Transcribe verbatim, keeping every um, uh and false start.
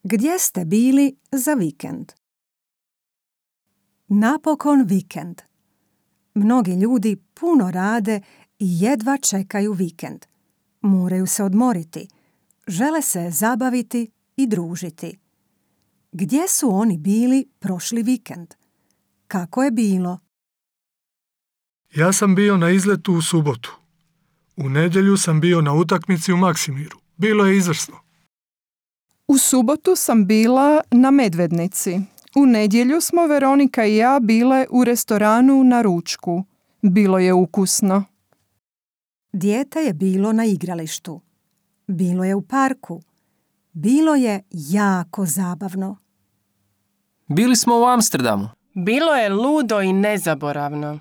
Gdje ste bili za vikend? Napokon vikend. Mnogi ljudi puno rade i jedva čekaju vikend. Moraju se odmoriti, žele se zabaviti i družiti. Gdje su oni bili prošli vikend? Kako je bilo? Ja sam bio na izletu u subotu. U nedjelju sam bio na utakmici u Maksimiru. Bilo je izvrsno. U subotu sam bila na Medvednici. U nedjelju smo Veronika i ja bile u restoranu na ručku. Bilo je ukusno. Dijete je bilo na igralištu. Bilo je u parku. Bilo je jako zabavno. Bili smo u Amsterdamu. Bilo je ludo i nezaboravno.